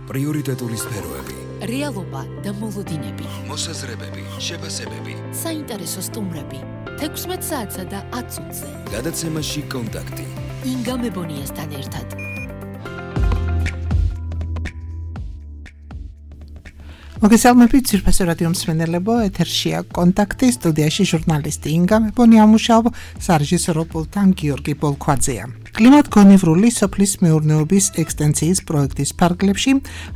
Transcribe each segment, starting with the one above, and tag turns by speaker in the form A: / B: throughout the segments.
A: პრიორიტეტული სფეროები,
B: რეალობა და მოლოდინები,
A: მოსაზრებები, შეფასებები,
B: საინტერესო სტუმრები, 16 საათსა და 10 წუთზე.
A: გადაცემაში კონტაქტი.
B: ინგა მებონიასთან ერთად.
C: მოგესალმებით ძვირფასო რადიო მსმენელებო, ეთერშია კონტაქტი, სტუდიაში ჟურნალისტი ინგა მებონია მუშაობ, სარეჟისორო პულტთან გიორგი ბოლქვაძეა. კლიმატგონივრული სოფლის მეურნეობის ექსტენციის პროექტის ფარგლებში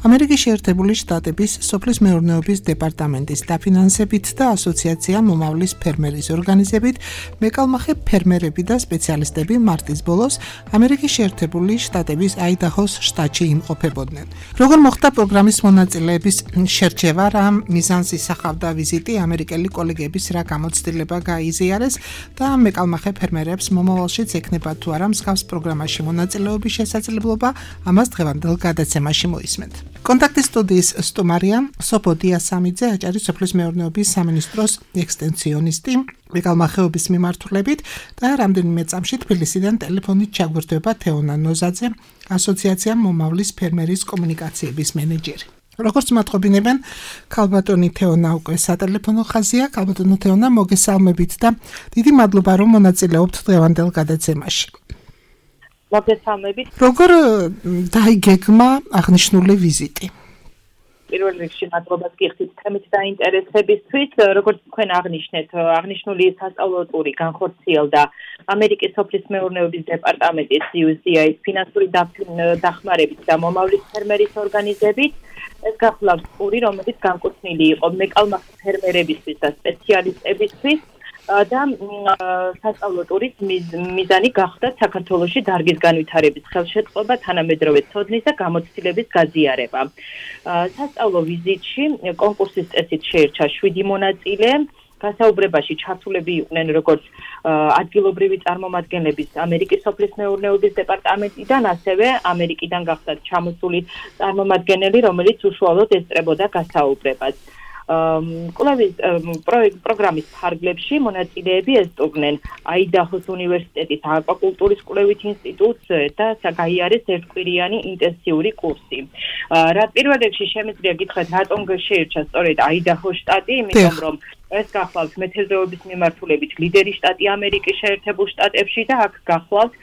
C: ამერიკის შეერთებული შტატების სოფლის მეურნეობის დეპარტამენტის დაფინანსებით და ასოციაცია მომავლის ფერმერის ორგანიზებით მეკალმახე ფერმერები და სპეციალისტები მარტის ბოლოს ამერიკის შეერთებული შტატების აიდაჰოს შტატში იმყოფებოდნენ. Როგორ მოხდა პროგრამის მონაწილეების შერჩევა, რა მიზანს ისახავდა ვიზიტი, ამერიკელი კოლეგების რა გამოცდილება გაიზიარეს და მეკალმახე ფერმერებს მომავალშიც ექნება თუ არა მსგავს პროგრამაში მონაწილეობის შესაძლებლობა, ამას დღევანდელ გადაცემაში მოისმენთ. კონტაქტის სტუდიის სტუმარია სოფო დიასამიძე, აჭარის სოფლის მეურნეობის სამინისტროს ექსტენციონისტი, მეკალმახეობის მიმართულებით და რამდენიმე წამში თბილისიდან ტელეფონით ჩაგვირთვება თეონა ნოზაძე, ასოციაცია მომავლის ფერმერის კომუნიკაციების მენეჯერი. როგორც მათყობინებენ, ქალბატონი თეონა უკვე სატელეფონო ხაზია. ქალბატონო თეონა, მოგესალმებით და დიდი მადლობა, რომ მონაწილეობთ დღევანდელ გადაცემაში.
D: მოგესალმებით.
C: როგორ დაიგეგმა აღნიშნული ვიზიტი?
D: პირველ რიგში მადლობას გიხდით თემით დაინტერესებისთვის. როგორც თქვენ აღნიშნეთ, აღნიშნული სასწავლო ტური განხორციელდა ამერიკის სოფლის მეურნეობის დეპარტამენტის USDA-ის ფინანსური დახმარებით და მომავლის ფერმერის ორგანიზებით. ეს გახლავს ტური, რომელიც განკუთვნილი იყო მეკალმახე ფერმერებისთვის და სპეციალისტებისთვის. და სასწავლო ტურის მიზანი გახდა საქართველოში დარგის განვითარების ხელშეწყობა, თანამედროვე ცოდნის და გამოცდილების გაზიარება. სასწავლო ვიზიტში კონკურსის წესით შეირჩა 7 მონაწილე. გასაუბრებაში ჩართულები იყვნენ როგორც ადგილობრივი წარმომადგენლების ამერიკის სოფლის მეურნეობის დეპარტამენტიდან, ასევე ამერიკიდან გახდათ ჩამოსული წარმომადგენელი, რომელიც უშუალოდ ესწრებოდა გასაუბრებას. კვლევის პროგრამის ფარგლებში მონაწილეები ესწრებდნენ აიდაჰოს უნივერსიტეტის აკვაკულტურის კვლევით ინსტიტუტს და გაიარეს ერთკვირიანი ინტენსიური კურსი. რა პირველ რიგში შემიძლია გითხრათ, რატომ შეირჩა სწორედ აიდაჰოს შტატი, იმიტომ რომ ეს გახლავთ მეთევზეობის მიმართულებით ლიდერი შტატი ამერიკის შეერთებულ შტატებში და აქ გახლავთ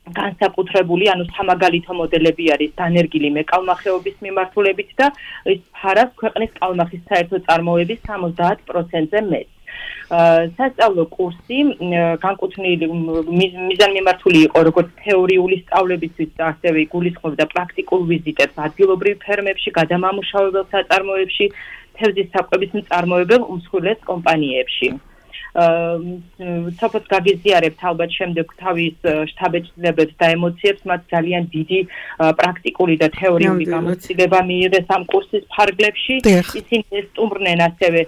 D: განსაკუთრებული, ანუ სამაგალითო მოდელები არის დანერგილი მეკალმახეობის მიმართულებით და ის ფარავს ქვეყნის კალმახის საერთო წარმოების 70%-ზე მეტს. სასწავლო კურსი განკუთვნილი მიზანმიმართული იყო როგორც თეორიული სწავლებისთვის და ასევე გულისხმობდა პრაქტიკულ ვიზიტებს ადგილობრივ ფერმებში, გადამამუშავებელ საწარმოებში, თევზის საკვების მწარმოებელ უმსხვილეს კომპანიებში. სოფოს გაგიზიარებთ ალბათ შემდეგ თავის შთაბეჭდილებებს და ემოციებს, მათ ძალიან დიდი პრაქტიკული და თეორიული გამოცდილება მიიღეს ამ კურსის ფარგლებში. ისინი ესტუმრნენ ასევე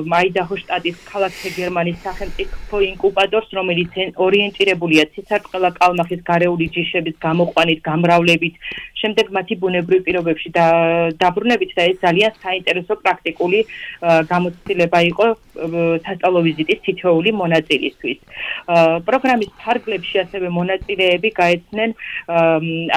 D: აიდაჰოს შტატის ქალაქ ჰეგერმანის სახელმწიფო ინკუბატორს, რომელიც ორიენტირებულია ცისარტყელა კალმახის გარეული ჯიშების გამოყვანით, გამრავლებით, შემდეგ მათი ბუნებრივ პირობებში დაბრუნებით და ეს ძალიან საინტერესო პრაქტიკული გამოცდილება იყო სასწავლო ვიზიტის თითოეული მონაწილისთვის. პროგრამის ფარგლებში ასევე მონაწილეები გაეცნენ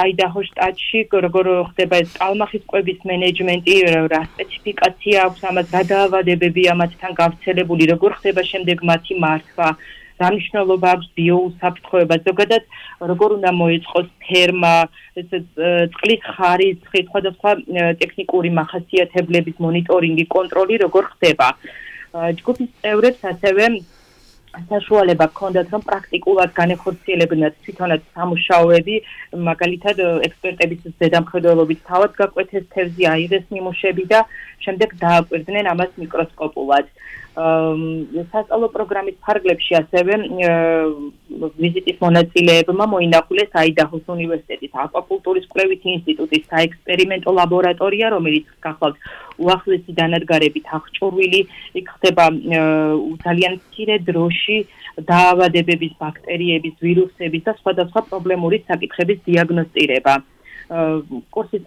D: აიდაჰოს შტატში, როგორ ხდება ეს კალმახის კვების მენეჯმენტი, რა სპეციფიკაცია აქვს ამას, რა დაავადებებია მათთან გავრცელებული, როგორ ხდება შემდეგ მათი მართვა, რა მნიშვნელობა აქვს ბიოუსაფრთხოება, ზოგადად როგორ უნდა მოეწყოს ფერმა, წყლის ხარისხი, სხვადასხვა ტექნიკური მახასიათებლების მონიტორინგი, კონტროლი როგორ ხდება. ჯგუფის წევრებს ასევე საშუალება ჰქონდათ, რომ პრაქტიკულად განეხორციელებინათ თვითონაც სამუშაოები, მაგალითად ექსპერტების ზედამხედველობით თავად გაკვეთეს თევზი, აიღეს ნიმუშები და შემდეგ დააკვირდნენ ამას მიკროსკოპულად. სასწავლო პროგრამის ფარგლებში ასევე ვიზიტის მონაწილეებმა მოინახულეს აიდაჰოს უნივერსიტეტის აკვაკულტურის კვლევით ინსტიტუტის საექსპერიმენტო ლაბორატორია, რომელიც გახლავთ უახლესი დანადგარებით აღჭურვილი, იქ ხდება ძალიან მცირე დროში დაავადებების, ბაქტერიების, ვირუსების და სხვადასხვა პრობლემური საკითხების დიაგნოსტირება. კურსის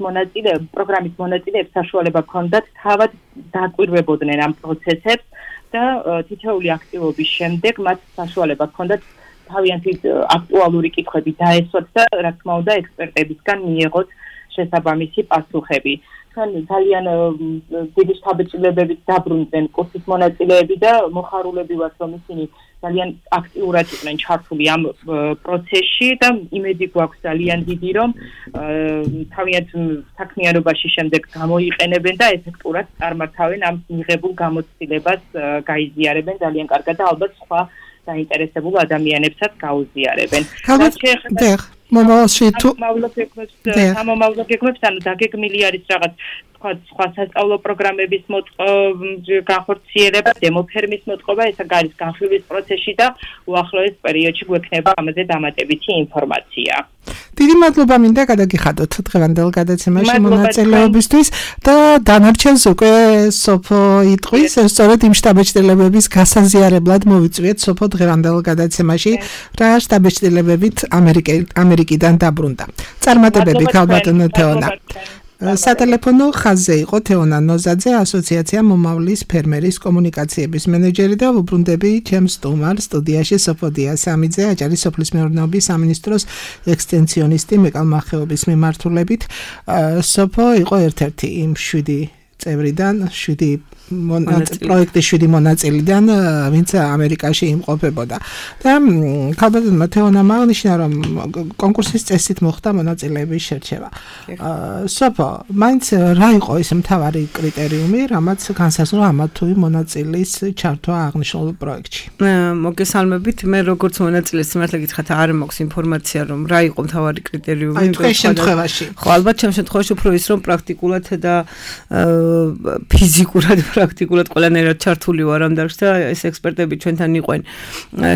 D: პროგრამის მონაწილეებს საშუალება ჰქონდათ თავად დააკვირვებოდნენ ამ პროცესებს და თითოეული აქტივობის შემდეგ მათ საშუალება ჰქონდათ თავიანთი აქტუალური კითხვები დაესვათ და რა თქმა უნდა ექსპერტებისგან მიიღოთ შესაბამისი პასუხები. ძალიან დიდი შთაბეჭდილებებით დაბრუნდნენ კურსის მონაწილეები და მოხარულები ვართ, რომ ისინი ძალიან აქტიურად იყვნენ ჩართული ამ პროცესში და იმედი გვაქვს ძალიან დიდი, რომ თავიანთ საქმიანობაში შემდეგ გამოიყენებენ და ეფექტურად წარმართავენ ამ მიღებულ გამოცდილებას გაიზიარებენ ძალიან კარგად და ალბათ სხვა დაინტერესებულ ადამიანებსაც გაუზიარებენ.
C: მომავალში თუ
D: სამომავლო გეგმებს ანუ დაგეგმილი არის რაღაც სხვა სასწავლო პროგრამების განხორციელება, დემოფერმის მოტყობა, ეს არის განხილვის პროცესში და უახლოეს პერიოდში გვექნება ამაზე დამატებითი ინფორმაცია.
C: დიდი მადლობა მინდა გადაგიხადოთ დღევანდელ გადაცემაში მონაწილეობისთვის და დანარჩენს უკვე სოფო იტყვის, სწორედ იმ შტაბეჭდილებების გასაზიარებლად მოვიწვიეთ სოფო დღევანდელ გადაცემაში, რა შტაბეჭდილებებით ამერიკიდან დაბრუნდა. წარმატებები ქალბატონო თეონა. სატელეფონო ხაზზე იყო თეონა ნოზაძე, ასოციაცია მომავლის ფერმერის კომუნიკაციების მენეჯერი და ვუბრუნდები ჩემს სტუმარ სტუდიაში სოფო დიასამიძე, აჭარის სოფლის მეურნეობის სამინისტროს ექსტენსიონისტი მეკალმახეობის მიმართულებით. სოფო იყო ერთ-ერთი იმ 7 წევრიდან, 7 პროექტის 7 მონაწილიდან, ვინც ამერიკაში იმყოფებოდა. და ქალბატონმა თეონამ აღნიშნა, რომ კონკურსის წესით მოხდა მონაწილეების შერჩევა. სოფო, მაინც რა იყო ეს მთავარი კრიტერიუმი, რამაც განსაზღვრა ამა თუ იმ მონაწილის ჩართვა აღნიშნულ პროექტში?
E: მოგესალმებით, მე როგორც მონაწილეს მართლა გითხრათ, არ მაქვს ინფორმაცია, რომ რა იყო მთავარი კრიტერიუმი.
C: აი თქვენ შემთხვევაში.
E: ხო, ალბათ ჩემ შემთხვევაში უფრო ის, რომ პრაქტიკულად და ფიზიკურად პრაქტიკულად ყველანაირად ჩართული ვარ ამ დარგში და ეს ექსპერტები ჩვენთან იყვენ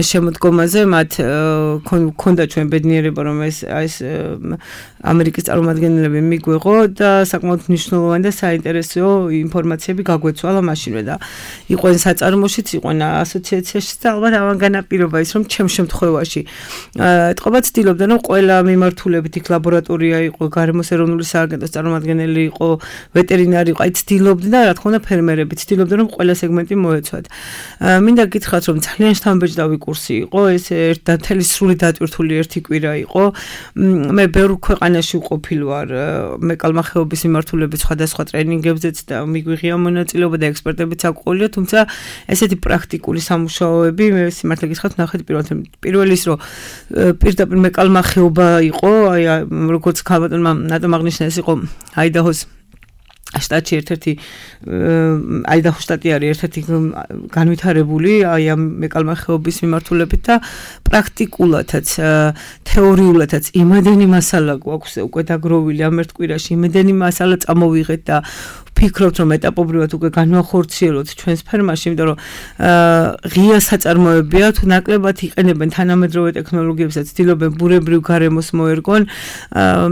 E: შემოდგომაზე, მათ ქონდა ჩვენ ბედნიერება, რომ ეს ამერიკის წარმომადგენლები მიგვეღო და საკმაოდ მნიშვნელოვანი და საინტერესო ინფორმაციები გაგვეცვალა მაშინვე და იყვენ საწარმოშიც, იყვენ ასოციაციაშიც და ალბათ ამან განაპირობა ის, რომ ჩემ შემთხვევაში ეთყობა ცდილობდა, რომ ყველა მიმართულებით იქ ლაბორატორია იყო, გარემოს ეროვნული სააგენტოს წარმომადგენელი იყო, ვეტერინარი იყო, აი ცდილობდა და რა თქმა უნდა ფერმერები ცდილობდა, რომ ყველა სეგმენტი მოეცვათ. მინდა გითხრათ, რომ ძალიან შთამბეჭდავი კურსი იყო, ეს ერთდათელი სრული დატვირთული ერთი კვირა იყო. მე ბევრ ქვეყანაში ვყოფილ ვარ, მეკალმახეობის მიმართულებით სხვადასხვა ტრენინგებზეც და მიგვიღია მონაწილეობა და ექსპერტებიც აკვყოლია, თუმცა ესეთი პრაქტიკული სამუშაოები მე სიმართლე გითხრათ, ნახეთ პირველი ის, რომ პირდაპირ მეკალმახეობა იყო, აი როგორც ქალბატონმა ნატომ აღნიშნა, ეს იყო აიდაჰოს შტატში ერთ-ერთი აიდაჰოს შტატი არის ერთ-ერთი განვითარებული აი ამ მეკალმახეობის მიმართულებით და პრაქტიკულადაც თეორიულადაც იმედენი მასალა გვაქვს უკვე დაგროვილი ამ ერთ კვირაში, იმედენი მასალა წამოვიღეთ და ვფიქრობთ, რომ ეტაპობრივად უკვე განვახორციელოთ ჩვენს ფერმაში, იმიტომ რომ ღია საწარმოებია, თუ ნაკლებად იყენებენ თანამედროვე ტექნოლოგიებსაც, ცდილობენ ბურებრივ გარემოს მოერგონ.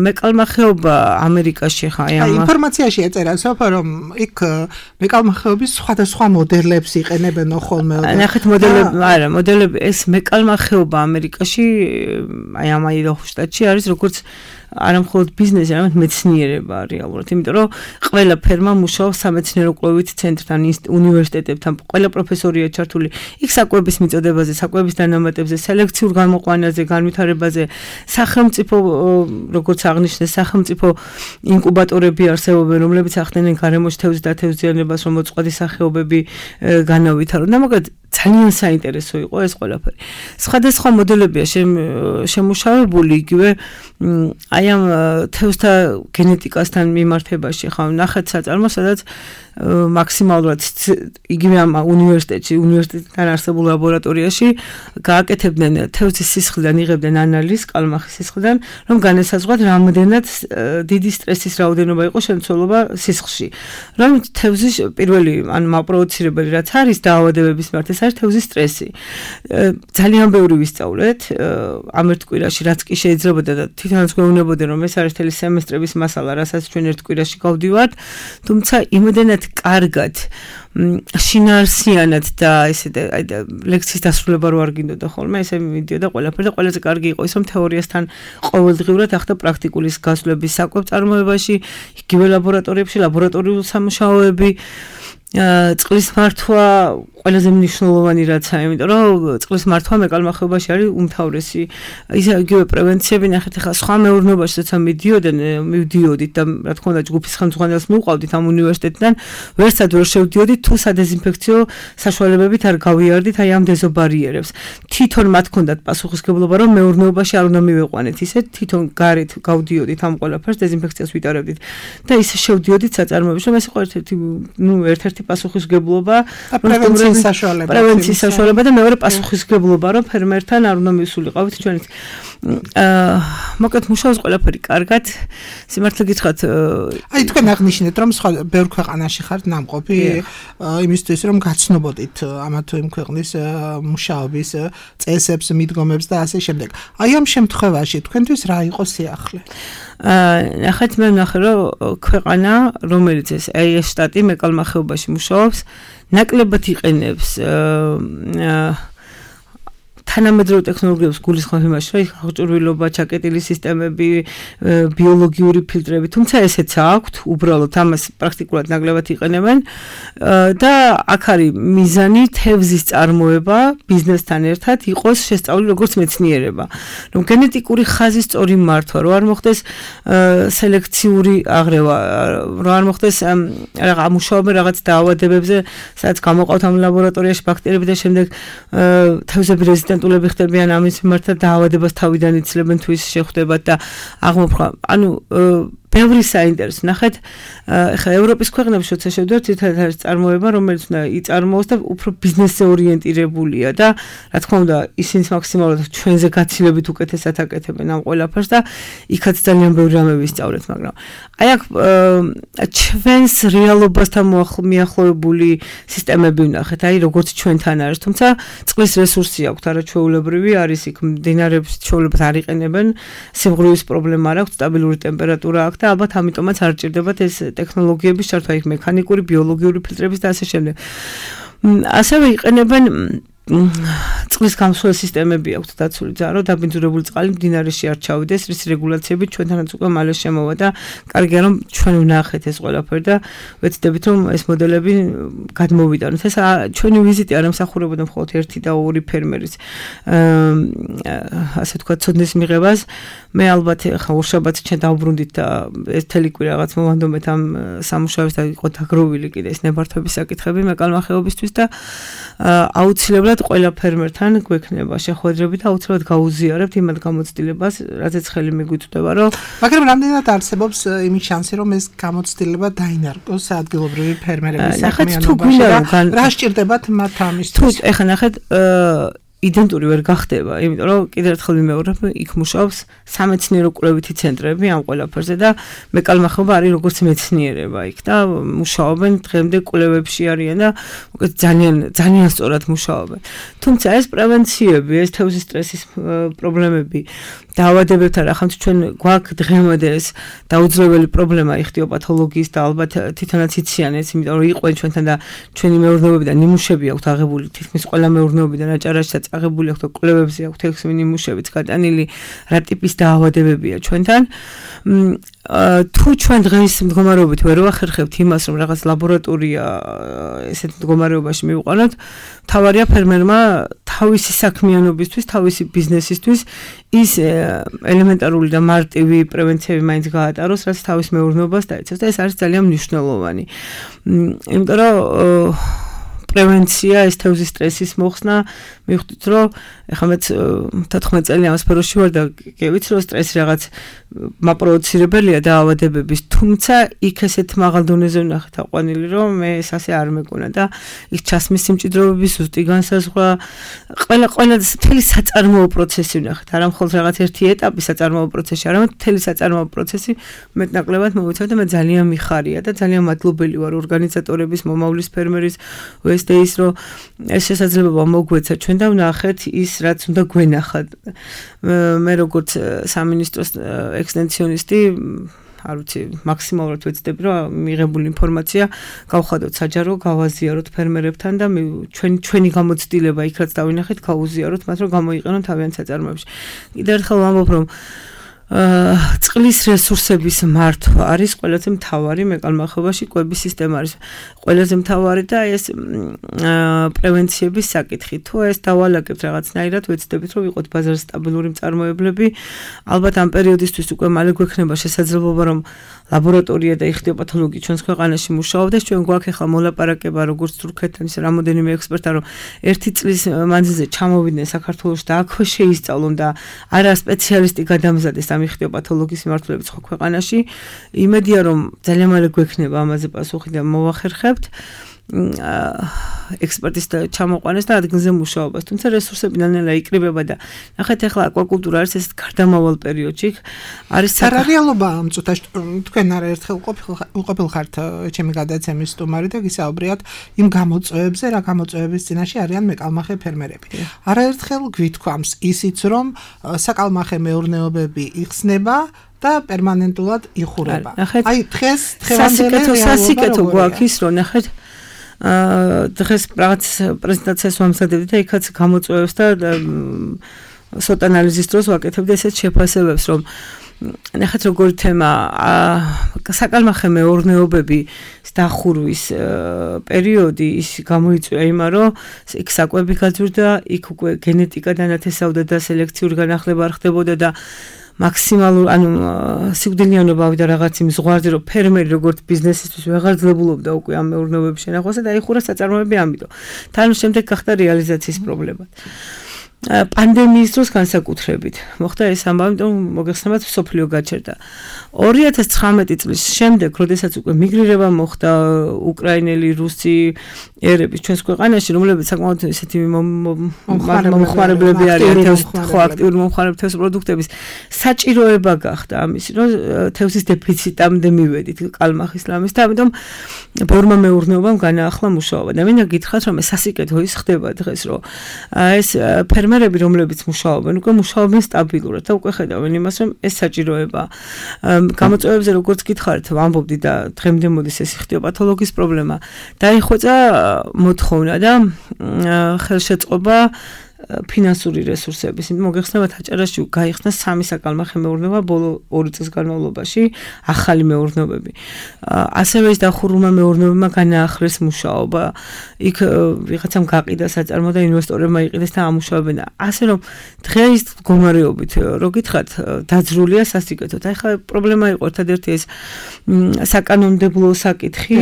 E: მეკალმახეობა ამერიკაში ხა აი
C: ინფორმაციაში ეწერა სოფო, რომ იქ მეკალმახეობის სხვადასხვა მოდელებს იყენებენ ხოლმე.
E: ნახეთ მოდელები, ეს მეკალმახეობა ამერიკაში, აი ამ აიდაჰოს შტატში არის როგორც არა მხოლოდ ბიზნესი, არამედ მეცნიერება რეალურად, იმიტომ რომ ყველა ფერმა მუშაობს სამეცნიერო კვლევით ცენტრთან, უნივერსიტეტებთან, ყველა პროფესორია ჩართული. იქ საკვების მიწოდებაზე, საკვების დანამატებზე, სელექციურ გამოყვანაზე, განვითარებაზე, სახელმწიფო, როგორც აღნიშნეს, სახელმწიფო ინკუბატორები არსებობენ, რომლებიც ახდენენ გარემოში თევზის დათევზიანებას, რომ მოწყვლადი სახეობები განავითარონ. და მაგალითად ძალიან საინტერესო იყო ეს ყველაფერი. სხვადასხვა მოდელებია შემუშავებული იგივე აი ამ თევზთა გენეტიკასთან მიმართებაში, ხო, ნახეთ საწარმოს, სადაც მაქსიმალურად იგივე ამ უნივერსიტეტთან არსებულ ლაბორატორიაში გააკეთებდნენ თევზის სისხლიდან, იღებდნენ ანალიზს კალმახის სისხლიდან, რომ განესაზღვრათ რამდენად დიდი სტრესის რაოდენობა იყო შემცველობა სისხლში. რომ თევზის პირველი ან მაპროვოცირებელი რაც არის დაავადებების მიმართ, ეს არის თევზის სტრესი. ძალიან ბევრი ვისწავლეთ ამ ერთ კვირაში, რაც კი შეიძლებოდა და თვითონაც გვეუბნებოდნენ, რომ ეს არის მთელი სემესტრების მასალა, რასაც ჩვენ ერთ კვირაში გავდივართ, თუმცა იმდენად კარგად შინაარსიანად და ესე აი და ლექციის დასრულება რო არ გინდოდა ხოლმე, ესე მიდიოდა ყველაფერი და ყველაზე კარგი იყო ის, რომ თეორიასთან ყოველდღიურად ახდა პრაქტიკულის გასვლების საკვებ წარმოებაში, იგივე ლაბორატორიებში, ლაბორატორიული სამუშაოები წყლის მართვა ყველაზე მნიშვნელოვანი რაცაა, იმიტომ რომ წყლის მართვა მეკალმახეობაში არის უმთავრესი. იგივე პრევენციები ნახეთ, ახლა სხვა მეურნეობაში როცა მივდიოდით და რა თქმა უნდა ჯგუფის ხელმძღვანელს მივყავდით ამ უნივერსიტეტიდან, ვერცად ვერ შევდიოდით თუ სადეზინფექციო საშუალებებით არ გავიარდით აი ამ დეზობარიერებს. თვითონ მათ ჰქონდათ პასუხისგებლობა, რომ მეურნეობაში არ უნდა მივეყვანეთ ისე, თვითონ გარეთ გავდიოდით ამ ყველაფერს, დეზინფექციას ვიტარებდით და ისე შევდიოდით საწარმოებში, რომ ეს იყო ერთ-ერთი პასუხისგებლობა, პრევენციის საშუალება და მეორე პასუხისგებლობა, რომ ფერმერთან არ უნდა მივსულიყავით ჩვენით. მოკლედ მუშაობს ყველაფერი კარგად. სიმართლე გითხრათ,
C: აი თქვენ აღნიშნეთ, რომ სხვა ბევრ ქვეყანაში ხართ ნამყოფი იმისთვის, რომ გაცნობოდით ამა თუ იმ ქვეყნის მუშაობის წესებს, მიდგომებს და ასე შემდეგ. აი ამ შემთხვევაში თქვენთვის რა იყო სიახლე?
E: ნახეთ, მე ვნახე, რომ ქვეყანა, რომელიც ეს შტატი მეკალმახეობაში მუშაობს, ნაკლებად იყენებს თანამედროვე ტექნოლოგიებს გულისხმობ იმაში, რომ აღჭურვილობა, ჩაკეტილი სისტემები, ბიოლოგიური ფილტრები, თუმცა ესეც აქვთ, უბრალოდ ამას პრაქტიკულად ნაკლებად იყენებენ და აქ არის მიზანი თევზის წარმოება ბიზნესთან ერთად იყოს შესწავლილი როგორც მეცნიერება. რომ გენეტიკური ხაზის სწორი მართვა, რომ არ მოხდეს სელექციური აღრევა, რომ არ მოხდეს მუშაობენ რაღაც დაავადებებზე, სადაც გამოყავთ ამ ლაბორატორიაში ბაქტერიები და შემდეგ თევზები რეზისტენტ ხდებიან ამის მიმართ დაავადებას თავიდან იცლებენ თუ ის შეხვდებათ და აღმოფხვრა. ანუ ბევრი საინტერესო. ნახეთ, ეხლა ევროპის ქვეყნებში როცა შევდივართ, ერთადერთი არის წარმოება, რომელიც უნდა იწარმოოს და უფრო ბიზნესზე ორიენტირებულია და რა თქმა უნდა, ისინიც მაქსიმალურად ჩვენზე გაცილებით უკეთესად აკეთებენ ამ ყველაფერს და იქაც ძალიან ბევრი რამე ვისწავლეთ, მაგრამ აი აქ ჩვენს რეალობასთან მიახლოებული სისტემები ვნახეთ, აი როგორც ჩვენთან არის, თუმცა წყლის რესურსი აქვთ არაჩვეულებრივი, არის იქ მდინარეებს ჩვეულებრივ არ იყენებენ, სიმღვრივის პრობლემა არ აქვთ, სტაბილური ტემპერატურა აქვს და ალბათ ამიტომაც არ ჭირდებათ ეს ტექნოლოგიების ჩართვა, იქ მექანიკური, ბიოლოგიური ფილტრების და ასე შემდეგ. ასევე იყენებენ წყლის გამსხვილ სისტემები აქვთ დაცული ძარო, დაბინძურებული წყალი მდინარეში არ ჩავიდეს, რის რეგულაციები ჩვენთანაც უკვე მალე შემოვა და კარგია რომ ჩვენ ვნახეთ ეს ყველაფერი და ვეცდებით რომ ეს მოდელები გადმოვიტანოთ. ეს ჩვენი ვიზიტი არ ემსახურებოდა მხოლოდ ერთი და ორი ფერმერის ასე თქვა ცოდნის მიღებას. მე ალბათ ხა ორშაბათს ჩვენ დავბრუნდით და ეს თელი კვირა რაღაც მომანდომეთ ამ სამუშაოებს და იყო დაგროვილი კიდე ეს ნებართვების საკითხები მეკალმახეობისთვის და აუცილებლად ყველა ფერმერთან გვექნება შეხვედრები და აუცილებლად გაუზიარებთ იმად გამოცდილებას, რაზეც ხელი მიგვიწვდება, რომ
C: მაგრამ რამდენად არსებობს იმის შანსი, რომ ეს გამოცდილება დაინარგოს ადგილობრივი ფერმერების საქმიანობაში და რა სჭირდებათ მათ ამისთვის?
E: თუ ეხლა ნახეთ იდენტური ვერ გახდება, იმიტომ რომ კიდევ ერთხელ ვიმეორებ, იქ მუშაობს სამეცნიერო კვლევითი ცენტრები ამ ყველაფერზე და მეკალმახეობა არის როგორც მეცნიერება იქ და მუშაობენ დღემდე კვლევებში არიან და ძალიან სწორად მუშაობენ. თუმცა ეს პრევენციები, ეს თევზის სტრესის პრობლემები, დაავადებებთან ახლა ჩვენ გვაქვს დღემდე ეს დაუძლეველი პრობლემა იხტიოპათოლოგიის და ალბათ თვითონაც იციან ეს, იმიტომ რომ იყვენ ჩვენთან და ჩვენი მეურნეობიდან ნიმუშები აქვთ აღებული, თითქმის ყველა მეურნეობიდან აჭარაშიც აღებული აქვთ და კვლევებზე აქვთ 6 ნიმუშებიც გადანილი, რა ტიპის დაავადებებია ჩვენთან. თუ ჩვენ დღეს მდგომარეობით ვერ ვახერხებთ იმას, რომ რაღაც ლაბორატორია ესეთ მდგომარეობაში მივიყვანოთ, თავარია ფერმერმა თავისი საქმიანობისთვის, თავისი ბიზნესისთვის ის ელემენტარული და მარტივი პრევენციები მაინც გაატაროს, რაც თავის მეურნეობას დაიცავს და ეს არის ძალიან მნიშვნელოვანი. იმიტომ რომ პრევენცია, ეს თევზის სტრესის მოხსნა, მივხვდით რომ ეხლა მეც 14 წელი ამ სფეროში ვარ და გევიცი რომ სტრესი რაღაც მაპროვოცირებელია დაავადებების, თუმცა იქ ესეთ მაღალ დონეზე ვნახეთ აყვანილი, რომ მე ეს ასე არ მეკონა და იქ ჩასმის სიმჭიდროვების ზუსტი განსაზღვრა, ყველა მთელი საწარმოო პროცესი ვნახეთ, არა მხოლოდ რაღაც ერთი ეტაპი საწარმოო პროცესში, არამედ მთელი საწარმოო პროცესი მეტნაკლებად მოვიცავ და მე ძალიან მიხარია და ძალიან მადლობელი ვარ ორგანიზატორების, მომავლის ფერმერის ვესტეის, რომ ეს შესაძლებლობა მოგვეცა ჩვენ და ვნახეთ ის, რაც უნდა გვენახათ. მე როგორც სამინისტროს ექსტენსიონისტი, არ ვიცი, მაქსიმალურად ვეცდები, რომ მიღებული ინფორმაცია გავხადოთ საჯარო, გავაზიაროთ ფერმერებთან და ჩვენი გამოცდილება იქ რაც დავინახეთ, გავუზიაროთ მათ, რომ გამოიყენონ თავიანთ საწარმოებში. კიდევ ერთხელ ვამბობ, რომ წყლის რესურსების მართვა არის ყველაზე მთავარი მეკალმახობაში კვების სისტემა არის ყველაზე მთავარი და ეს პრევენციების საკითხი თუ ეს დავალაგებთ რაღაცნაირად ვეცდებით რომ ვიყოთ ბაზარზე სტაბილური მწარმოებლები ალბათ ამ პერიოდისთვის უკვე მალე გვექნება შესაძლებლობა რომ ლაბორატორია და იხტიოპათოლოგი ჩვენს ქვეყანაში მუშაობდეს ჩვენ გვაქვს ახლა მოლაპარაკება როგორც თურქეთთან ისე რამოდენიმე ექსპერტთან რომ ერთი წლის მანძილზე ჩამოვიდნენ საქართველოში და აქვე შეისწავლონ და არა სპეციალისტი გადამზადეს ამ იხტიოპათოლოგის მიმართულებით ხო ქვეყანაში იმედია რომ ძალიან მალე გვექნება ამაზე პასუხი და მოვახერხებთ ექსპერტის ჩამოყვანეს და ადგილზე მუშაობას. თუმცა რესურსები ნელ-ნელა იკრიბება და ნახეთ ახლა აკვაკულტურა არის ეს გარდამავალ პერიოდში არის
C: სარეალობა ამ წუთაში თქვენ არაერთხელ უყოფილხართ ჩემი გადაცემის სტუმარი და გისაუბრიათ იმ გამოწვევებზე რა გამოწვევების წინაშე არიან მეკალმახე ფერმერები. არაერთხელ გვითქვამს ისიც რომ საკალმახე მეურნეობები იხსნება და პერმანენტულად იხურება. აი დღეს
E: დღევანდელი სასიკეთო გვაქვს ის რომ ნახეთ დღეს რაღაც პრეზენტაციას ვამზადებდი და იქაც გამოწვევებს და სოტ ანალიზის დროს ვაკეთებდი ესეთ შეფასებებს რომ ნახეთ როგორი თემა საკალმახე მეურნეობები დახურვის პერიოდი ის გამოიწვია იმან რომ იქ საკვები გაძვირდა იქ უკვე გენეტიკა დანათესავდა და სელექციური განახლება არ ხდებოდა და მაქსიმალურ ანუ სიკვდილიანობა ავიდა რაღაც იმ ზღვარზე რომ ფერმერი როგორც ბიზნესისთვის ვეღარ ძლებულობდა უკვე ამ მეურნეობების შენახვასა და აიხურა საწარმოები ამიტომ თან შემდეგ გახდა რეალიზაციის პრობლემა პანდემიის დროს განსაკუთრებით მოხდა ეს ამბავი ამიტომ მოგეხსენებათ სოფლიო გაჩერდა 2019 წლის შემდეგ როდესაც უკვე მიგრირება მოხდა უკრაინელი რუსი ერების ჩვენს ქვეყანაში რომლებიც საკმაოდ ესეთი მომხმარებლები არიან ხო აქტიური მომხმარებლები თევზის პროდუქტების საჭიროება გახდა ამისი რომ თევზის დეფიციტამდე მივედით კალმახის ლამის და ამიტომ ბევრმა მეურნეობამ განაახლა მუშაობა და მინდა გითხრათ რომ სასიკეთო ის ხდება დღეს რომ ეს ფერმერები რომლებიც მუშაობენ უკვე მუშაობენ სტაბილურად და უკვე ხედავენ იმას რომ ეს საჭიროება გამოწვევებზე როგორც გითხარით ვამბობდი და დღემდე მოდის ეს იხტიოპათოლოგის პრობლემა დაიხვეწა მოთხოვნა და ხელშეწყობა ფინანსური რესურსების. მოგეხსენებათ აჭარაში გაიხსნა 3 საკალმახე მეურნეობა ბოლო 2 წლის განმავლობაში, ახალი მეურნეობები. ასევე ის დახურულმა მეურნეობებმა განაახლეს მუშაობა. იქ ვიღაცამ გაყიდა საწარმო და ინვესტორებმა იყიდეს და ამუშავებენ. ასე რომ დღეს მდგომარეობით რო გითხრათ, დაძრულია სასიკეთოდ. აი ხა პრობლემა იყო ერთადერთი ეს საკანონმდებლო საკითხი,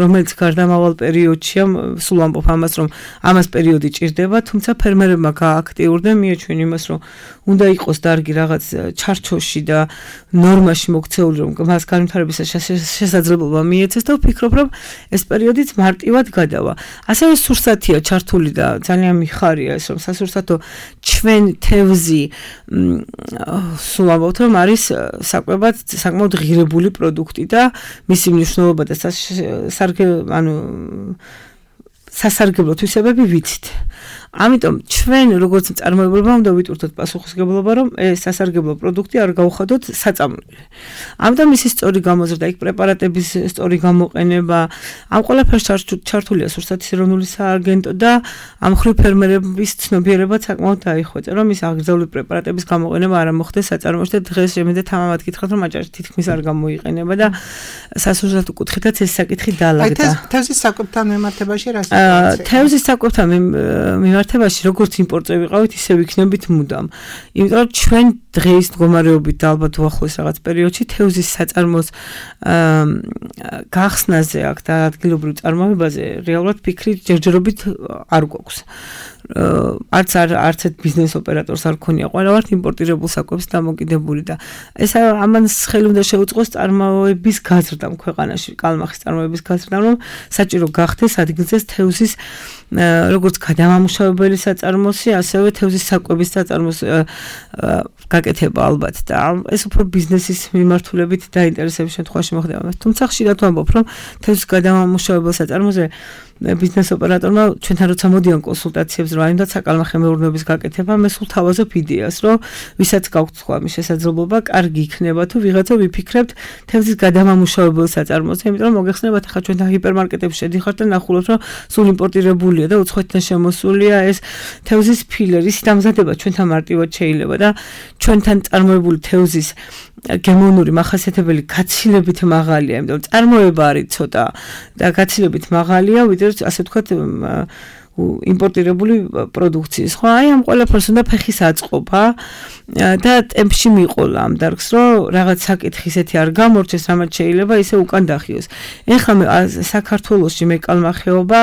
E: რომელიც გარდამავალ პერიოდშია, სულ ამბობ ამას, რომ ამას პერიოდი ჭირდება, თუმცა ფერმერებმა გააქტიურდნენ მიაჩვენ იმას, რომ უნდა იყოს დარგი რაღაც ჩარჩოში და ნორმაში მოქცეული, რომ მას განვითარებისას შესაძლებლობა მიეცეს და ვფიქრობ, რომ ეს პერიოდიც მარტივად გადავა. ასევე სურსათია ჩართული და ძალიან მიხარია ეს, რომ სასურსათო ჩვენ თევზი სულ ამბობთ, რომ არის საკვებად საკმაოდ ღირებული პროდუქტი და მისი მნიშვნელობა და სასარგებლო თვისებები ვიცით. ამიტომ ჩვენ როგორც მწარმოებლებმა უნდა ვიტვირთოთ პასუხისმგებლობა, რომ ეს სასარგებლო პროდუქტი არ გავხადოთ საწამლული. ამიტომ მისი სწორი გამოზრდა, იქ პრეპარატების სწორი გამოყენება, ამ ყველაფერს ჩართულია სურსათის ეროვნული სააგენტო და ამ ხრივ ფერმერების ცნობიერებაც საკმაოდ დაიხვეწა, რომ ის აღგრძელებული პრეპარატების გამოყენება არ მოხდეს საწარმოში და დღეს შემიძლია თამამად გითხრათ, რომ აჭარაში თითქმის არ გამოიყენება და სასურსათო კუთხითაც ეს საკითხი დაალაგდა.
C: თევზის საკვებთან მიმართებაში რა
E: თევზის საკვებთან მიმართებაში როგორც იმპორტზე ვიყავით, ისე ვიქნებით მუდამ. იმიტომ რომ ჩვენ დღეს მდგომარეობით და ალბათ უახლოეს რაღაც პერიოდში თევზის საწარმოს გახსნაზე აქ და ადგილობრივ წარმოებაზე რეალურად ფიქრი ჯერჯერობით არ გვაქვს. არც ბიზნეს ოპერატორს არ ქონია, ყველა ვართ იმპორტირებულ საკვებს დამოკიდებული და ეს ამან ხელი უნდა შეუწყოს წარმოების გაზრდამ ქვეყანაში, კალმახის წარმოების გაზრდამ, რომ საჭირო გახდეს ადგილზე თევზის როგორც გადამამუშავებელი საწარმოსი, ასევე თევზის საკვების საწარმოს გაკეთება ალბათ და ეს უფრო ბიზნესის მიმართულებით დაინტერესების შემთხვევაში მოხდება. თუმცა ხშირად ვამბობ, რომ თევზის გადამამუშავებელ საწარმოზე ბიზნეს ოპერატორმა ჩვენთან როცა მოდიან კონსულტაციებს, რომ აინდათ საკალმახე მეურნეობის გაკეთება, მე სულ თავაზობ იდეას, რომ ვისაც გაქვთ სხვა მის შესაძლებლობა, კარგი იქნება თუ ვიღაცა ვიფიქრებთ თევზის გადამამუშავებელ საწარმოზე, იმიტომ რომ მოგეხსენებათ, ახლა ჩვენთან ჰიპერმარკეტებში შედიხართ და ნახულობთ, რომ სულ იმპორტირებული მარტივებულია და უცხოეთიდან შემოსულია ეს თევზის ფილერის დამზადება ჩვენთან მარტივად შეიძლება და ჩვენთან წარმოებული თევზის გემონური მახასიათებელი გაცილებით მაღალია, იმიტომ რომ წარმოება არის ცოტა და გაცილებით მაღალია, ვიდრე ასე ვთქვათ იმპორტირებული პროდუქციის. ხო, აი ამ ყველაფერს უნდა ფეხის აწყობა და ტემპში მიყოლა ამ დარგს, რომ რაღაც საკითხი ისეთი არ გამორჩეს, რამაც შეიძლება ისე უკან დახიოს. ეხლა საქართველოში მეკალმახეობა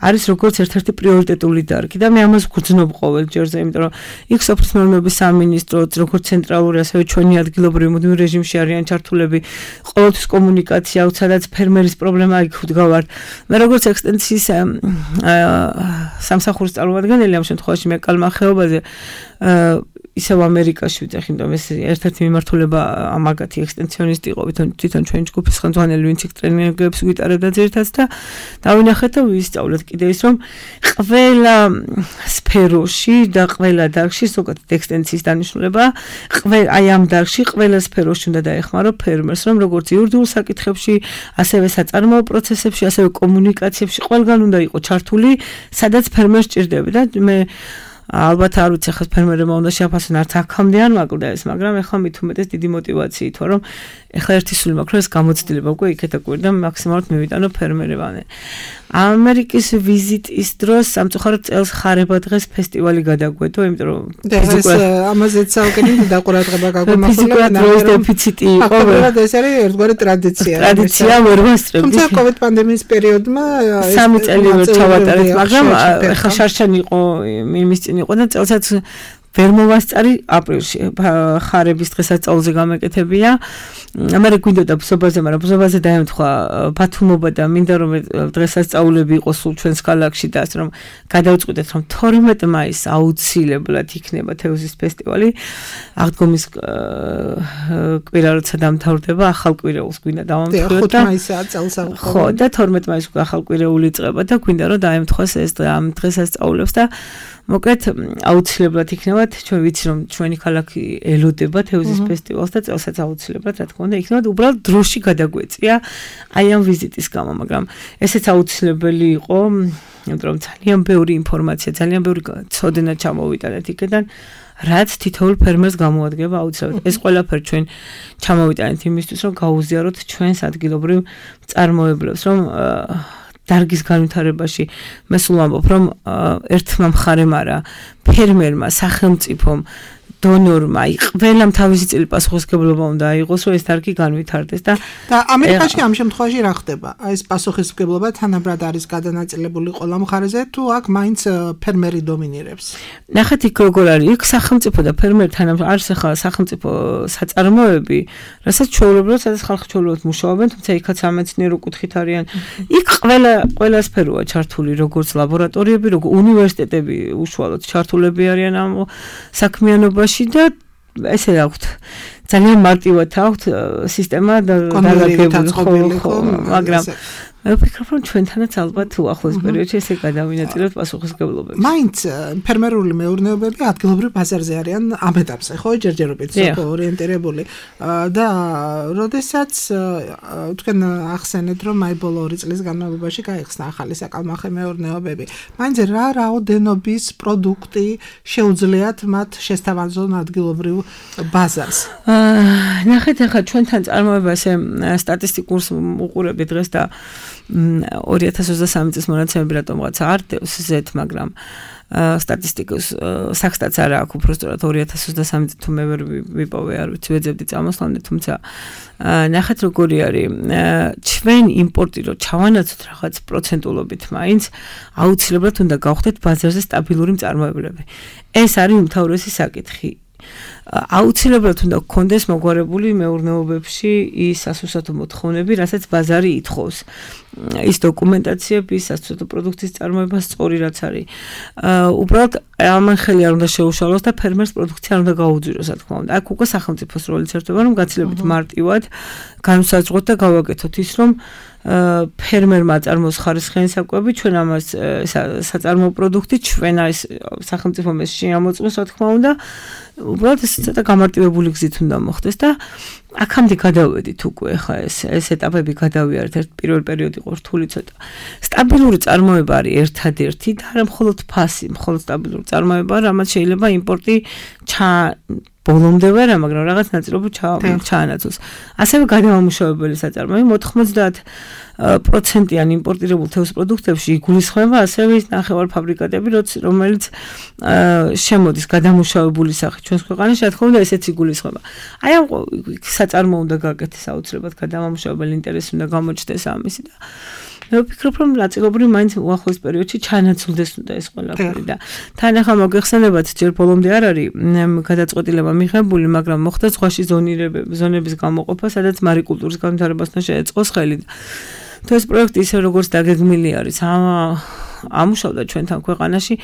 E: არის როგორც ერთ-ერთი პრიორიტეტული დარგი და მე ამას ვგრძნობ ყოველ ჯერზე, იმიტომ რომ იქ სოფლის მეურნეობის სამინისტრო, როგორც ცენტრალური, ასევე ჩვენი ადგილობრივი მუდმივ რეჟიმში არიან ჩართულები, ყოველთვის კომუნიკაცია აქვს, სადაც ფერმერის პრობლემა იქ ვდგავართ. მე როგორც ექსტენსიის სამსახურის წარმომადგენელი ამ შემთხვევაში მეკალმახეობაზე ისევ ამერიკაში ვიძახი, იმიტომ ეს ერთ-ერთი მიმართულება ამაგათი ექსტენსიონისტი იყო, თვითონ ჩვენი ჯგუფის ხელმძღვანელი, ვინც იქ ტრენინგებს ვიტარებდა ძირითადად და დავინახეთ და ვისწავლეთ კიდე ის, რომ ყველა სფეროში და ყველა დარგში ზოგადად ექსტენსიის დანიშნულება, აი ამ დარგში ყველა სფეროში უნდა დაეხმარო ფერმერს, რომ როგორც იურიდიულ საკითხებში, ასევე საწარმოო პროცესებში, ასევე კომუნიკაციებში ყველგან უნდა იყო ჩართული, სადაც ფერმერს ჭირდება და მე ალბათ არ ვიცი ხა ფერმერებმა უნდა შეაფასონ არც აქამდე არ მაკლდა ეს, მაგრამ ეხლა მით უმეტეს დიდი мотиваციით ვარ, რომ ეხლა ერთი სული მაქვს, რომ ეს გამოცდილება უკვე იქეთ აკვირდა მაქსიმალურად მივიტანო ფერმერებამდე. ამერიკის ვიზიტის დროს სამწუხაროდ წელს ხარება დღეს ფესტივალი გადაგვედო, იმიტომ რომ
C: ამაზეც საუკეთესო დაყურადღება გაგვიმახვილა.
E: ფიზიკურად დროის დეფიციტი იყო.
C: ფაქტობრივად ეს არის ერთგვარი ტრადიცია.
E: ტრადიცია ვერ ვასწრებთ.
C: თუმცა COVID პანდემიის პერიოდმა
E: 3 წელი ვერ ჩავატარეთ, მაგრამ ეხლა შარშანი იყო იმის წინ იყო და წელსაც ვერ მოვასწარი აპრილში ხარების დღესასწაულზე გამეკეთებია. ამერე გვინდოდა ბზობაზე, მაგრამ ბზობაზე დაემთხვა ბათუმობა და მინდა რომ დღესასწაულები იყოს სულ ჩვენს ქალაქში და ასე რომ გადავწყვიტეთ რომ 12 მაისს აუცილებლად იქნება თევზის ფესტივალი. აღდგომის კვირა როცა დამთავრდება, ახალ კვირეულს გვინდა დავამტკიცოთ და
C: 5 მაისაა წელსაღწევი.
E: ხო, და 12 მაისს უკვე ახალ კვირეული იწყება და გვინდა რომ დაემთხვას ეს ამ დღესასწაულებს და მოკლედ აუცილებლად იქნებათ, ჩვენ ვიცი რომ ჩვენი ქალაქი ელოდება თევზის ფესტივალს და წელსაც აუცილებლად რა თქმა უნდა იქნებათ, უბრალოდ დროში გადაგვეწია აი ამ ვიზიტის გამო, მაგრამ ესეც აუცილებელი იყო, იმიტომ რომ ძალიან ბევრი ინფორმაცია, ძალიან ბევრი ცოდნა ჩამოვიტანეთ იქიდან, რაც თითოეულ ფერმერს გამოადგება აუცილებლად. ეს ყველაფერი ჩვენ ჩამოვიტანეთ იმისთვის, რომ გაუზიაროთ ჩვენს ადგილობრივ მწარმოებლებს, რომ დარგის განვითარებაში მე სულ ვამბობ, რომ ერთმა მხარემ არა, ფერმერმა, სახელმწიფომ, დონორმა, ყველამ თავისი წილი პასუხისმგებლობა უნდა აიღოს, რომ ეს დარგი განვითარდეს და
C: ამერიკაში ამ შემთხვევაში რა ხდება? აი ეს პასუხისმგებლობა თანაბრად არის გადანაწილებული ყველა მხარეზე, თუ აქ მაინც ფერმერი დომინირებს?
E: ნახეთ იქ როგორ არის, იქ სახელმწიფო და ფერმერი არის ახლა სახელმწიფო საწარმოები, რასაც ჩვეულებრივად, სადაც ხალხი ჩვეულებრივად მუშაობენ, თუმცა იქაც სამეცნიერო კუთხით არიან. იქ ყველა სფეროა ჩართული, როგორც ლაბორატორიები, როგორც უნივერსიტეტები უშუალოდ ჩართულები არიან ამ საქმიანობაში და ესე აქვთ ძალიან მარტივად აქვთ სისტემა დაგაგებული, მაგრამ მე ვფიქრობ, რომ ჩვენთანაც ალბათ უახლოს პერიოდში ესე გადავინაწილოთ პასუხისმგებლობებს.
C: მაინც ფერმერული მეურნეობები ადგილობრივ ბაზარზე არიან ამ ეტაპზე, ხო, ჯერჯერობით ორიენტირებული და როდესაც თქვენ ახსენეთ, რომ აი ბოლო 2 წლის განმავლობაში გაიხსნა ახალი საკალმახე მეურნეობები, მაინც რა რაოდენობის პროდუქტი შეუძლიათ მათ შესთავაზონ ადგილობრივ ბაზარს?
E: ნახეთ, ახლა ჩვენთან წარმოებაზე სტატისტიკურს უყურებდი დღეს და 2023 წლის მონაცემები რატომღაც არ დევს ზეთ, მაგრამ სტატისტიკოს საქსტაც არა აქვს უბრალოდ 2023 წელს თუ მე ვერ ვიპოვე, არ ვიცი, ვეძებდი წამოსვლამდე, თუმცა ნახეთ როგორი არის ჩვენ იმპორტი რო ჩავანაცოთ რაღაც პროცენტულობით, მაინც აუცილებლად უნდა გავხდეთ ბაზარზე სტაბილური მწარმოებლები. ეს არის უმთავრესი საკითხი. აუცილებლად უნდა გქონდეს მოგვარებული მეურნეობებში ის სასუსათო მოთხოვნები, რასაც ბაზარი ითხოვს. ის დოკუმენტაციები, სასუსათო პროდუქციის წარმოება სწორი რაც არის. უბრალოდ ამან ხელი არ უნდა შეუშალოს და ფერმერს პროდუქცია არ უნდა გაუძვიროს, რა თქმა უნდა. აქ უკვე სახელმწიფოს როლიც ერთობა, რომ გაცილებით მარტივად განვსაზღვროთ და გავაკეთოთ ის, რომ ფერმერმა აწარმოოს ხარისხიანი საკვები, ჩვენ ამას საწარმოო პროდუქტი, ჩვენ ეს სახელმწიფომ ეს შეამოწმოს, რა თქმა უნდა. უბრალოდ ცოტა გამარტივებული გზით უნდა მოხდეს და აქამდე გადავედით უკვე ხა ეს ეტაპები გადავიარეთ ერთ პირველ პერიოდი იყო რთული ცოტა სტაბილური წარმოება არის ერთადერთი და არა მხოლოდ ფასი მხოლოდ სტაბილური წარმოება რამაც შეიძლება იმპორტი ბოლომდე ვერა მაგრამ რაღაც ნაწილობრივ ჩაანაცვლოს ასევე გადამამუშავებელი საწარმოები 90% იმპორტირებულ თევზ პროდუქტებში იგულისხმება ასევე ის ნახევარფაბრიკატები რომელიც შემოდის გადამუშავებული სახით ჩვენს ქვეყანაში რა თქმა უნდა ესეც იგულისხმება აი ამ საწარმო უნდა გაკეთდეს აუცილებლად გადამამუშავებელი ინტერესი უნდა გამოჩნდეს ამისი და მე ვფიქრობ რომ ნაწილობრივ მაინც უახლოეს პერიოდში ჩანაცვლდეს უნდა ეს ყველაფერი და თან ახლა მოგეხსენებათ ჯერ ბოლომდე არ არის გადაწყვეტილება მიღებული მაგრამ მოხდა ზღვაში ზონების გამოყოფა სადაც მარიკულტურის განვითარებასთან შეეწყოს ხელი და ეს პროექტი ისე როგორც დაგეგმილი არის ამუშავდა ჩვენთან ქვეყანაში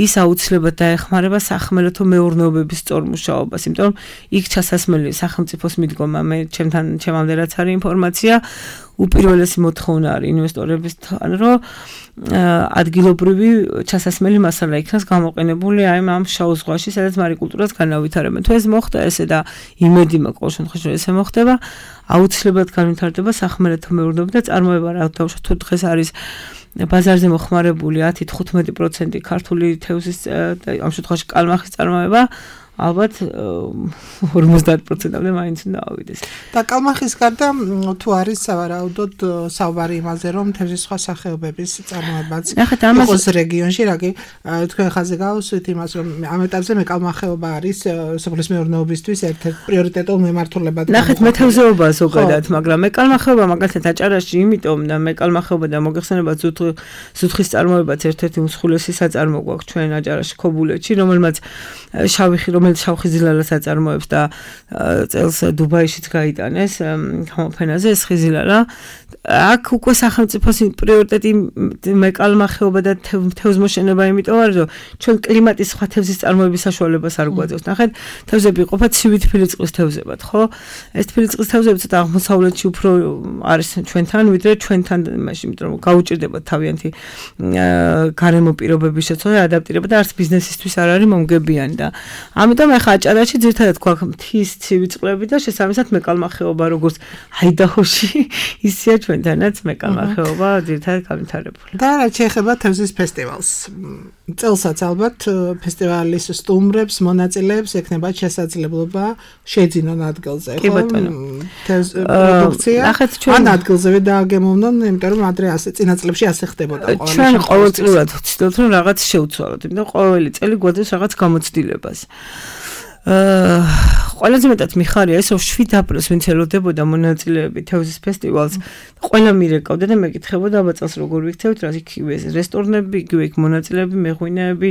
E: ის აუცილებლად დაეხმარება სახმელეთო მეურნეობების სწორ მუშაობას იმიტომ რომ იქ ჩასასმელი სახელმწიფოს მიდგომა მე ჩემამდე რაც არის ინფორმაცია უპირველესი მოთხოვნა არის ინვესტორებისთან რომ ადგილობრივი ჩასასმელი მასალა იქნას გამოყენებული აი ამ შავ ზღვაში სადაც მარიკულტურას განავითარებენ თუ ეს მოხდა ესე და იმედი მაქვს ყოველ შემთხვევაში რომ ესე მოხდება აუცილებლად განვითარდება სახმელეთო მეურნეობა და წარმოება რა დავუშვათ თუ დღეს არის ბაზარზე მოხმარებული 10-15% ქართული თევზის ამ შემთხვევაში კალმახის წარმოება ალბათ 50%-ამდე მაინც უნდა ავიდეს.
C: და კალმახის გარდა თუ არის სავარაუდოდ საუბარი იმაზე რომ თევზის სხვა სახეობების წარმოებაც იყოს რეგიონში რაგი თქვენ ხაზზე გავუსვით იმას რომ ამ ეტაპზე მე კალმახეობა არის სოფლის მეურნეობისთვის ერთ-ერთი პრიორიტეტულ მემართულებად.
E: ნახეთ მე თევზეობა ზოგადად მაგრამ მე კალმახეობა მაგალითად აჭარაში იმიტომ და მე კალმახეობა და მოგეხსენება ზუთხის წარმოებაც ერთ-ერთი უმსხვილესი საწარმო გვაქვს ჩვენ აჭარაში ქობულეთში რომელმაც შავხიზილალას აწარმოებს და წელს დუბაიშიც გაიტანეს გამოფენაზე ეს ხიზილალა აქ უკვე სახელმწიფოს პრიორიტეტი მეკალმახეობა და თევზმოშენება იმიტომ არის რომ ჩვენ კლიმატის სხვა თევზის წარმოების საშუალებას არ გვაძლევს ნახეთ თევზები იყოფა ცივი თბილისწყლის თევზებად ხო ეს თბილისწყლის თევზები ცოტა აღმოსავლეთში უფრო არის ჩვენთან ვიდრე ჩვენთან მაშინ იმიტომ რომ გაუჭირდება თავიანთი გარემო პირობების შეცვლა და ადაპტირება და არც ბიზნესისთვის არ არის მომგებიანი და ამიტომ ახლა აჭარაში ძირითადად გვაქვს მთის ცივი წყლები და შესაბამისად მეკალმახეობა როგორც აიდაჰოში ისეა ჩვენთანაც მეკალმახეობა ძირითადად განვითარებული.
C: და რაც შეეხება თევზის ფესტივალს. წელსაც ალბათ ფესტივალის სტუმრებს, მონაწილეებს ექნებათ შესაძლებლობა შეძინონ ადგილზე,
E: ხო? კი ბატონო.
C: პროდუქცია. ან ადგილზევე დააგემოვნონ, იმიტომ რომ ადრე ასე წინა წლებში ასე ხდებოდა ყოველ
E: ჩვენ ყოველწლიურად ვცდილობთ რომ რაღაც შევცვალოთ, იმიტომ ყოველი წელი გვაძლევს რაღაც გამოცდილებას. ყველაზე მეტად მიხარია ეს რომ 7 აპრილს ვინც ელოდებოდა მონაწილეები თევზის ფესტივალს ყველა მირეკავდა და მეკითხებოდა აბა წელს როგორ ვიქცევთ რა იქ რესტორნები იგივე იქ მონაწილეები მეღვინეები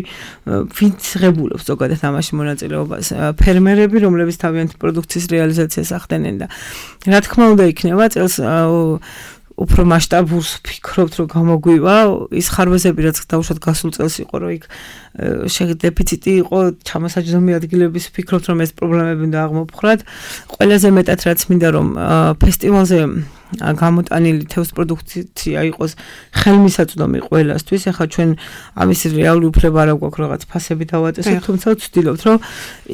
E: ვინც ღებულობს ზოგადად ამაში მონაწილეობას ფერმერები რომლებიც თავიანთი პროდუქციის რეალიზაციას ახდენენ და რა თქმა უნდა იქნება წელს უფრო მასშტაბურს ფიქრობთ რომ გამოგვივა ის ხარვეზები რაც დაუშვათ გასულ წელს იყო რომ იქ დეფიციტი იყო ჩამოსაჯდომი ადგილების ფიქრობთ რომ ეს პრობლემები უნდა აღმოფხრათ ყველაზე მეტად რაც მინდა რომ ფესტივალზე გამოტანილი თევზ პროდუქცია იყოს ხელმისაწვდომი ყველასთვის. ახლა ჩვენ ამის რეალური უფლება არ გვაქვს რაღაც ფასები დავაწესოთ, თუმცა ვცდილობთ რომ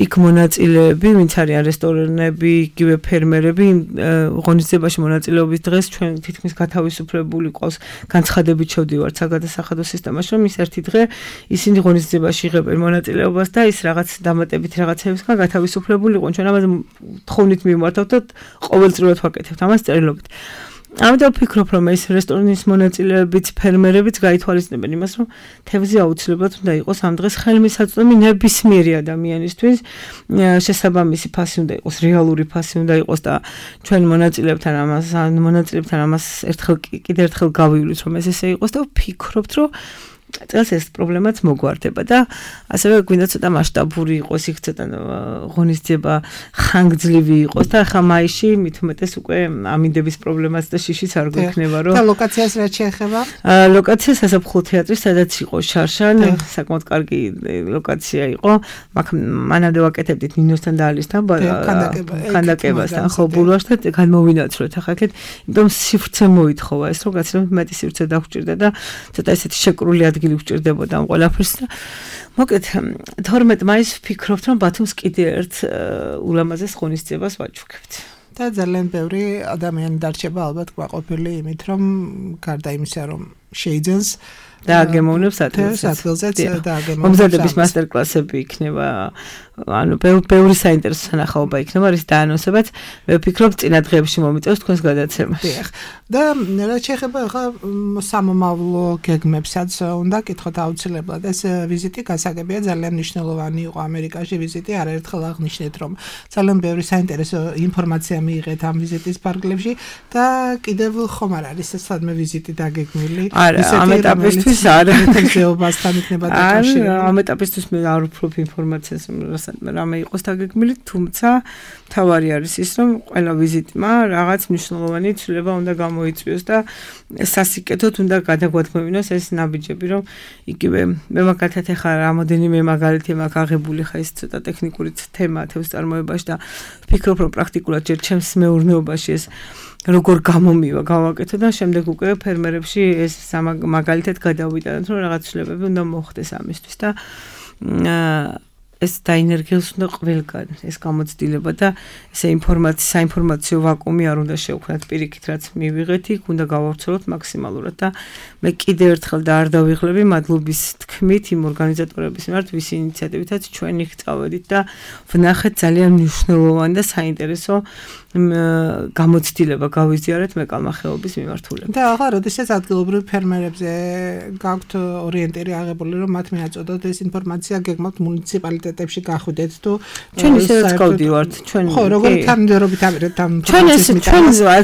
E: იქ მონაწილეები, ვინც არიან რესტორნები, იგივე ფერმერები, ღონისძიებაში მონაწილეობის დღეს ჩვენ თითქმის გათავისუფლებული ყავს განცხადებით შევდივართ საგადასახადო სისტემაში, რომ ის ერთი დღე ისინი ღონისძიებაში იღებენ მონაწილეობას და ის რაღაც დამატებითი რაღაცებისგან გათავისუფლებული იყვნენ. ჩვენ ამაზე თხოვნით მიმართავთ და ყოველწლიურად ვაკეთებთ ამას წერილობით. ამიტომ ვფიქრობ, რომ ეს რესტორნის მონაწილეებიც, ფერმერებიც გაითვალისწინებენ იმას, რომ თევზი აუცილებლად უნდა იყოს ამ დღეს ხელმისაწვდომი ნებისმიერი ადამიანისთვის. შესაბამისი ფასი უნდა იყოს, რეალური ფასი უნდა იყოს და ჩვენ მონაწილეებთან ამას კიდევ ერთხელ გავივლით, რომ ეს ესე იყოს და ვფიქრობთ, რომ წელს ეს პრობლემაც მოგვარდება და ასევე გვინდა ცოტა მასშტაბური იყოს, იქ ცოტა ღონისძიება ხანგრძლივი იყოს და ახლა მაისში მით უმეტეს უკვე ამინდების პრობლემაც და შიშიც არ გვექნება რომ
C: და ლოკაციას რაც შეეხება?
E: ლოკაცია სასაფლაო თეატრი, სადაც იყო შარშან, საკმაოდ კარგი ლოკაცია იყო. მანამდე ვაკეთებდით ნინოსთან და ალისთან ქანდაკებასთან, ხო ბულვარს და განმოვინაცვლეთ ახლა აქეთ, იმიტომ სივრცე მოითხოვა ეს რომ გაცილებით მეტი სივრცე დაგვჭირდა და ცოტა ესეთი შეკრული ადგილი ადგილი გვჭირდებოდა ამ ყველაფერს და მოკლედ 12 მაისს ვფიქრობთ რომ ბათუმს კიდე ერთ ულამაზეს ღონისძიებას ვაჩუქებთ.
C: და ძალიან ბევრი ადამიანი დარჩება ალბათ ყვაყოფილი იმით რომ გარდა იმისა რომ შეიძენს
E: და აგემოვნებს
C: ადგილზეც და აგემოვნებს
E: მომზადების მასტერკლასები იქნება ანუ ბევრი საინტერესო სანახაობა იქნება რის დაანონსებად მე ვფიქრობ წინა დღეებში მომიწევს თქვენს გადაცემაში
C: და რა შეეხება ხა სამომავლო გეგმებსაც უნდა კითხოთ აუცილებლად ეს ვიზიტი გასაგებია ძალიან მნიშვნელოვანი იყო ამერიკაში ვიზიტი არაერთხელ აღნიშნეთ რომ ძალიან ბევრი საინტერესო ინფორმაცია მიიღეთ ამ ვიზიტის ფარგლებში და კიდევ ხომ არ არის ეს სადმე ვიზიტი დაგეგმილი
E: ამ ეტაპისთვის არ
C: თემზეობასთან იქნება დაკავშირებული
E: ამ ეტაპისთვის მე არ ვფლობ ინფორმაციას რამე იყოს დაგეგმილი თუმცა თავარი არის ის რომ ყველა ვიზიტმა რაღაც მნიშვნელოვანი ცვლილება უნდა გამოიწვიოს და სასიკეთოდ უნდა გადაგვადგმევინოს ეს ნაბიჯები რომ იგივე მე მაგალითად ახლა რამოდენიმე მაგალითი მაქვს აღებული ხა ის ცოტა ტექნიკური თემა თევზ წარმოებაში და ვფიქრობ რომ პრაქტიკულად ჯერ ჩემს მეურნეობაში ეს როგორ გამომივა გავაკეთო და შემდეგ უკვე ფერმერებში ეს მაგალითად გადავიტანოთ რომ რაღაც ცვლილებები უნდა მოხდეს ამისთვის და ეს დაინერგიოს უნდა ყველგან ეს გამოცდილება და ესე საინფორმაციო ვაკუუმი არ უნდა შევქმნათ პირიქით რაც მივიღეთ იქ უნდა გავავრცელოთ მაქსიმალურად და მე კიდევ ერთხელ და არ დავიღლები მადლობის თქმით იმ ორგანიზატორების მიმართ ვის ინიციატივითაც ჩვენ იქ წავედით და ვნახეთ ძალიან მნიშვნელოვანი და საინტერესო გამოცდილება გავიზიარეთ მეკალმახეობის მიმართულებით.
C: და ახლა როდესაც ადგილობრივ ფერმერებზე გაქვთ ორიენტირი აღებული რომ მათ მიაწოდოთ ეს ინფორმაცია გეგმავთ მუნიციპალიტეტებში გახვიდეთ თუ
E: ჩვენ ისევ გავდივართ ჩვენ
C: ხო როგორი თანმიმდევრობით ამერეთ ამ
E: ჩვენ ექსტენსია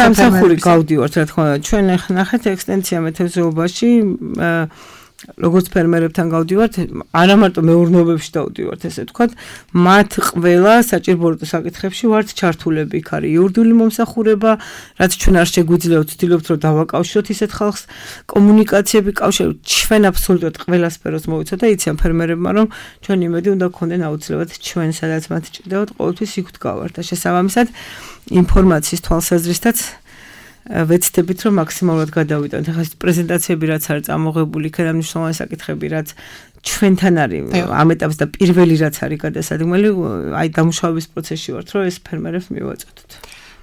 E: სამსახური გავდივართ რა თქმა უნდა ჩვენ ნახეთ ექსტენსია მეთევზეობაში როგორც ფერმერებთან გავდივართ, არა მარტო მეურნეობებში დავდივართ, ესე ვთქვათ, მათ ყველა საჭირო საკითხებში ვართ ჩართულები, იქ არის იურიდიული მომსახურება, რაც ჩვენ არ შეგვიძლია ვცდილობთ, რომ დავაკავშიროთ ისეთ ხალხს, კომუნიკაციები, კავშირი, ჩვენ აბსოლუტურად ყველა სფეროს მოვიცოთ და იციან ფერმერებმა, რომ ჩვენ იმედი უნდა გქონდეთ აუცილებლად ჩვენ სადაც მათ ჭირდებათ, ყოველთვის იქ ვდგავართ და შესაბამისად ინფორმაციის თვალსაზრისითაც ვეცდებით რომ მაქსიმალურად გადავიტანოთ. ახლა ეს პრეზენტაციები რაც არის წამოღებული, იქიდან მნიშვნელოვანი საკითხები რაც ჩვენთან არის ამ ეტაპზე და პირველი რაც არის გადასადგმელი, აი დამუშავების პროცესში ვართ, რომ ეს ფერმერებს მივაწოდოთ.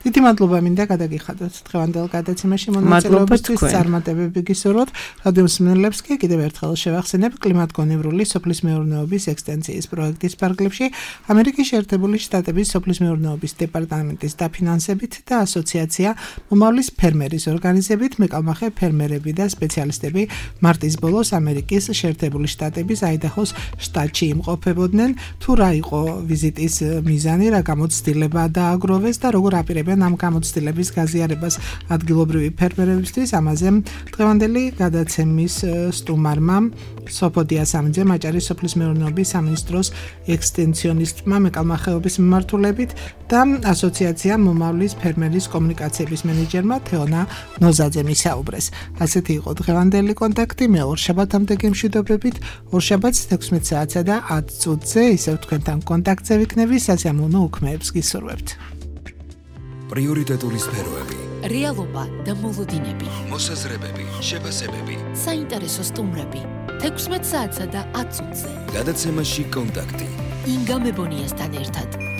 C: დიდი მადლობა მინდა გადაგიხადოთ დღევანდელ გადაცემაში მონაწილეობისთვის წარმატებები გისურვოთ. რადიო მსმენელებს კი კიდევ ერთხელ შევახსენებ კლიმატგონივრული სოფლის მეურნეობის ექსტენსიის პროექტის ფარგლებში ამერიკის შეერთებული შტატების სოფლის მეურნეობის დეპარტამენტის დაფინანსებით და ასოციაცია მომავლის ფერმერის ორგანიზებით მეკალმახე ფერმერები და სპეციალისტები მარტის ბოლოს ამერიკის შეერთებული შტატების აიდაჰოს შტატში იმყოფებოდნენ. თუ რა იყო ვიზიტის მიზანი, რა გამოცდილება დააგროვეს და როგორ აპირებენ ამ გამოცდილების გაზიარებას ადგილობრივი ფერმერებისთვის, ამაზე დღევანდელი გადაცემის სტუმარმა სოფოდია სამიძემ აჭარის სოფლის მეურნეობის სამინისტროს ექსტენსიონისტმა მეკალმახეობის მიმართულებით და ასოციაცია მომავლის ფერმერის კომუნიკაციების მენეჯერმა თეონა ნოზაძემ ისაუბრეს. ასეთი იყო დღევანდელი კონტაქტი. მე ორშაბათამდე გემშვიდობებით, ორშაბათს 16 საათსა და 10 წუთზე ისევ თქვენთან კონტაქტზე ვიქნები, სასიამოვნო უქმეებს გისურვებთ.
A: პრიორიტეტული სფეროები,
B: რეალობა და მოლოდინები,
A: მოსაზრებები, შეფასებები,
B: საინტერესო სტუმრები, 16 საათსა და 10 წუთზე.
A: გადაცემაში კონტაქტი.
B: ინგა მებონიასთან ერთად.